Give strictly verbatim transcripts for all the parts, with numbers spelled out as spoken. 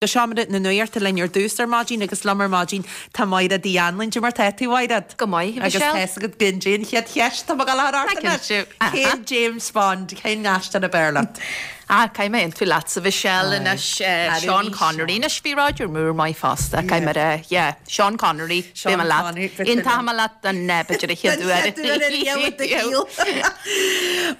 Go seomra na nuachta linn ar dtús ar maidin agus liom ar maidin tá Mairéad Uí Anluain. Cad é mar tá tú, a Mhairéad? Go maith, Agus Michelle. tá agat goidé an chéad cheist tá ag dul ort Cinnte. Cén James Bond cén aisteoir ab fhearr leat? Ah, caithfidh mé aontú leatsa Michelle anois Aye. Sean Connery anois bhí Roger Moore maith fosta Caithfidh mé rá yeah, Sean Connery Sean Bhí mé leat. Connery, bhí Aontaím leat an b'fhéidir a chéad uair.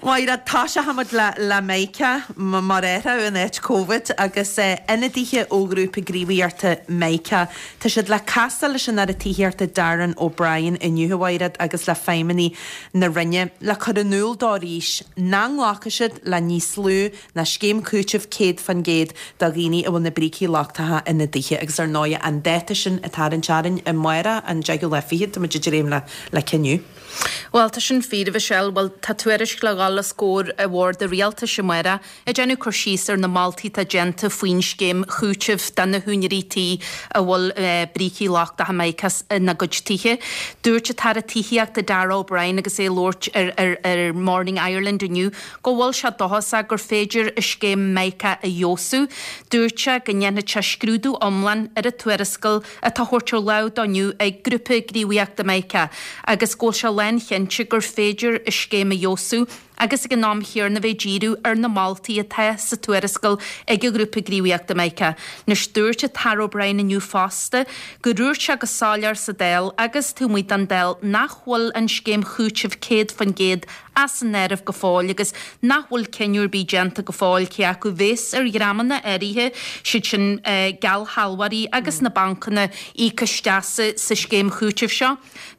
Mairéad tá sé le le Meica mar éra in áit COVID agus ionadaithe ó ghrúpa gníomhaíochta Meica. Tá siad le casadh leis an Aire Tithíochta Darren O'Brien inniu a Mhairéad agus le feidhmeannaigh na Roinne le cur in iúl dóibh arís nach nglacfaidh siad le níos lú ná scéim cúitimh céad faoin gcéad do dhaoine a bhfuil na brící lochtacha ina dtithe agus ar ndóigh an dáta sin atá ar an tearainn amárach an deichiú lá fichead tá muid ag dréim le le cinniú. Well tá sin fíor Michelle, well tá tuairisc le dhul os comhair an Bhoird Rialtais amárach ag déanamh cur síos ar na moltaí atá déanta faoin scéim chúitimh do na húinéirí tí a bhfuil eh, brící lochtacha Mica ina gcuid tithe. Dúirt an tAire Tithíochta Darragh O'Brien agus é ag labhairt ar, ar, ar Morning Ireland inniu go bhfuil sé dóchasach gur féidir an scéim Mica a fheabhsú. Dúirt sé go ndéanfaidh sé scrúdú iomlán ar an tuarascáil atá thabhairt ar láimh dó inniu ag grúpa gníomhaíochta Mica agus go bhfuil sé lánchinnte gur féidir an scéim a fheabhsú agus ag an am céanna bheith díriú ar na moltaí atá sa tuarascáil ag an ghrúpa gníomhaíochta Mica. Anois dúirt an tAire O'Brien inniu fosta go ndúirt sé go soiléir sa Dáil agus taobh amuigh den Dáil nach bhfuil an scéim chúitimh céad faoin gcéad as an áireamh go fóill agus nach bhfuil cinneadh ar bith déanta go fóill cé acu bheas ar dhreamanna áirithe siad sin uh, geallsealbhóirí agus na bancanna íoc isteach sa, sa scéim chúitimh seo.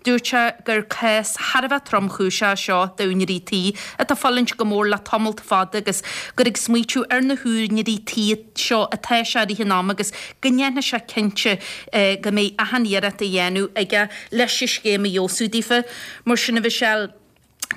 Dúirt sé gur cás thar a bheith tromchúiseach seo d'úinéirí tí atá fulaingt go mór le tamall fada agus gur ag smaoitiú ar na húinéirí tí seo atá sé i rith an ama agus go ndéanfaidh sé cinnte eh, go mbeidh achan iarracht á dhéanamh aige leis an scéim a fheabhsú daofa mar sin a Mhichelle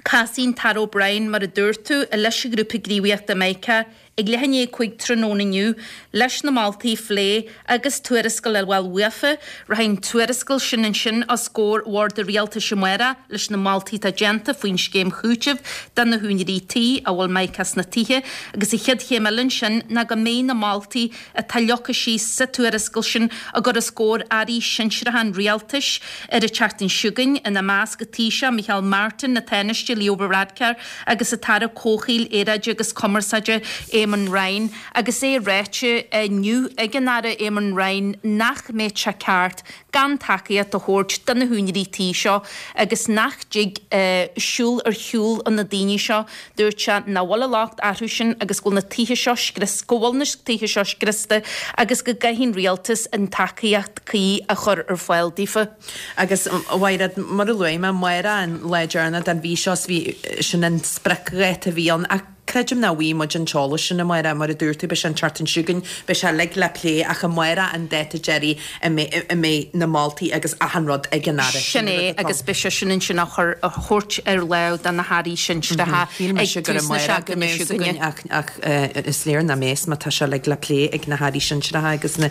Casfaidh an tAire O'Brien mar a dúirt tú leis an ghrúpa gníomhaíochta Mica ag leath i ndiaidh a cúig tráthnóna inniu leis na moltaí a phlé agus tuarascáil a fháil uafa, Rachaidh an tuarascáil sin ansin os comhair Bhord Rialtais amárach leis na moltaí atá déanta faoin scéim chúitimh do na húinéirí tí a bhfuil Mica sna tithe, agus an chéad chéim eile sin ná go mbeidh na moltaí atá leagtha síos sa tuarascáil sin á gcur os comhair airí sinsearacha an rialtais ar an tseachtain seo chugainn ina measc an Taoiseach Micheál Martin, an Tánaiste Leo Varadkar agus an tAire Comhshaoil Aeráide agus Cumarsáide Eamon Ryan agus é ráite inniu ag an Aire Eamon Ryan nach mbeadh sé ceart gan tacaíocht a thabhairt do na húinéirí tí seo agus nach dtig uh, siúl ar shiúl na daoine seo dúirt sé nach bhfuil an locht orthu sin agus go bhfuil na tithe seo scrios go bhfuil na tithe seo scriosta agus go gcaithfidh an rialtas an tacaíocht cuí a chur ar fáil daofa. Agus a Mhairéad mar a luaigh mé amárach an lá deireanach den mhí seo bhí sin an spriocdháta a bhí ann ach creidim nach bhfaighidh muid an t-eolas sin amárach mar a dúirt tú beidh sé an tseachtain seo chugainn beidh sé uilig le plé ach amárach an dáta deiridh a mbeidh na moltaí agus achan rud ag an Aire. Sin é agus beidh sé sin ansin a chur a thabhairt ar láimh do na hairí sinsearacha ag tús na seachtaine seo chugainn. ach ach is léir nach mbeidh má tá sé uilig le plé ag na hairí sinsearacha agus na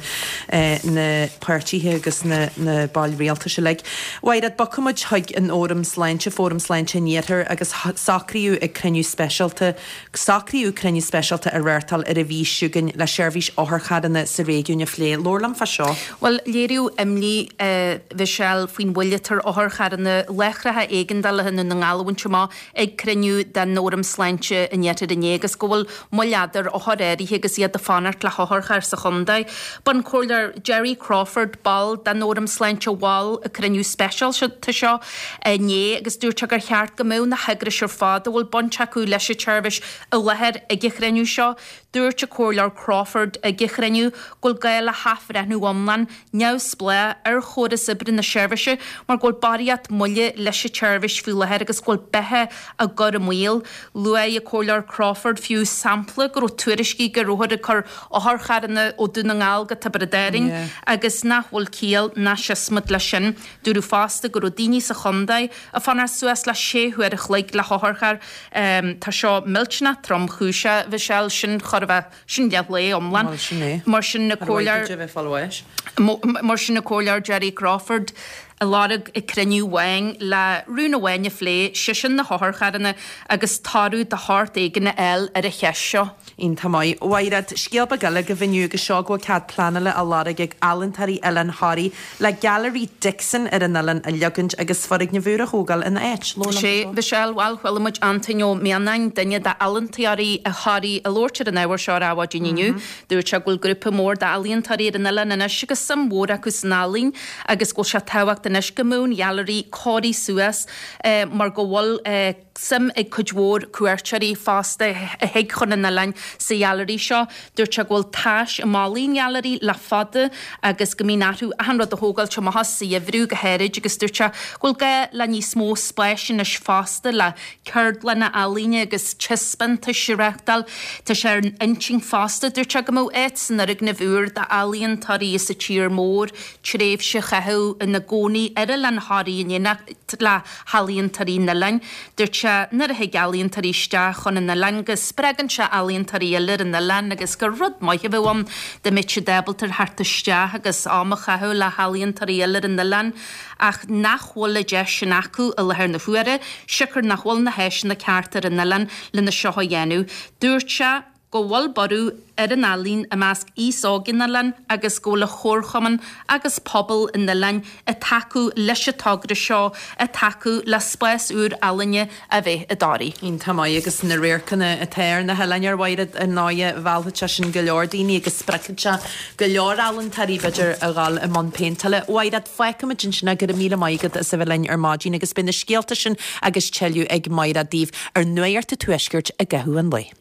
na páirtithe agus na na baill rialtais uilig. Mairéad bogfaidh muid chuig an Fhóram Sláinte, Fóram Sláinte an Iarthair agus socraíodh ag cruinniú speisialta Socraíodh cruinniú speisialta a reáchtáil ar an mhí seo chugainn le seirbhís otharcharranna sa réigiún a phlé. Labhair liom fá seo. Well léiríodh imní uh, Michelle faoin mhoill atá ar otharcharranna láithreacha éigeandála i nDún na nGall a bhaint amach ag cruinniú den Fhóram Sláinte an Iarthair inné agus go bhfuil moill fhada ar othair áirithe agus iad ag fanacht le hotharcharr sa chontae. B'an Comhairleoir Jerry Crawford ball den Fhóram Sláinte a mhol an cruinniú speisialta seo inné agus dúirt sé gur cheart go mbeadh na heagrais ar fad a bhfuil baint acu leis an tseirbhís i láthair ag an chruinniú seo. Dúirt an Comhairleoir Crawford ag an chruinniú go bhfuil gá le hathbhreithniú iomlán neamhspleách ar chóras oibre na seirbhíse mar go bhfuil barraíocht moille leis an tseirbhís faoi láthair agus go bhfuil beatha á cur i mbaol. Luaigh an Comhairleoir Crawford fiú sampla go raibh tuairiscí go rabhthar ag cur otharcharranna ó Dhún na nGall go Tiobraid Árann Yeah. agus nach bhfuil ciall ná siosmaid leis sin. Dúradh fosta go raibh daoine sa chontae ag fanacht suas le sé huair a chloig le hotharcharr um, Tá seo millteanach tromchúiseach Michelle sin chor a bheith sin leathlá iomlán. Well, sin é. Mar sin na comhairleoir comhairleoir bheith fáil mar sin an Comhairleoir Jerry Crawford a lorg ag cruinniú amháin le rún amháin a phlé, sé sin na hotharcharranna agus toradh de shórt éigin a fháil ar an cheist seo. Iontach maith. A Mhaighread, scéal beag eile agaibh inniu agus seo go bhfuil cead pleanála á lorg ag ealaíontóirí Oileán Thoraí le Gailearaí Dixon ar an oileán a leagaint agus foirgneamh úr a thógáil ina áit. Sé, Mhichelle, bhuel, chuala muid Antoin Ó Mianáin, duine d'ealaíontóirí Thoraí ag labhairt ar an ábhar seo ar Adhmhaidin inniu. Dúirt sé go bhfuil grúpa mór d'ealaíontóirí ar an oileán anois agus suim mhór acu san ealaín agus go bhfuil sé tábhachtach anois go mbeadh an ghailearaí cóirithe suas mar go bhfuil suim ag cuid mhór cuairteoirí fosta a thig chun an oileáin sa ghailearaí seo. Dúirt sé go bhfuil tais i mballaí an ghailearaí le fada agus go mbíonn orthu achan rud a thógáilt amach as sa gheimhreadh go háirid agus dúirt sé go bhfuil gá le níos mó spáis anois fosta le ceardlanna ealaíne agus taispeántais a reáchtáil. Tá sé ar intinn fosta, dúirt sé, go mbeadh áit san fhoirgneamh úr d'ealaíontóirí as an tír mór tréimhse a chaitheamh ina gcónaí ar oileán Thoraí in éineacht le healaíontóirí an oileáin. Dúirt sé nuair a thig ealaíontóirí isteach chun an oileáin go spreagann sé ealaíontóirí eile ar an oileán agus gur rud maith a bheadh ann dá mbeadh siad ábalta theacht isteach agus am a chaitheamh le healaíontóirí eile ar an oileán ach nach bhfuil an deis sin acu i láthair na huaire, siocair nach bhfuil na háiseanna cearta ar an oileán lena seo a dhéanamh. Dúirt sé go bhfuil borradh ar an ealaín i measc aos óg an oileáin agus go bhfuil an chomharchumann agus pobal an oileáin ag tacú leis an togra seo, ag tacú le spás úr ealaíne a bheith i dToraigh. Iontach maith agus na radharcanna atá ar na hoileáin ar Mhaighread ar ndóighe mheallfadh sé sin go leor daoine agus spreagfadh sé go leor ealaíontóirí b'fhéidir a dhul i mbun péinteála. A Mhaighread, fágfaimid ansin é, go raibh míle maith agat as a bheith linn ar maidin agus beidh na scéalta sin agus tuilleadh ag Maighread daoibh ar Nuacht an Tuaiscirt i gcaitheamh an lae.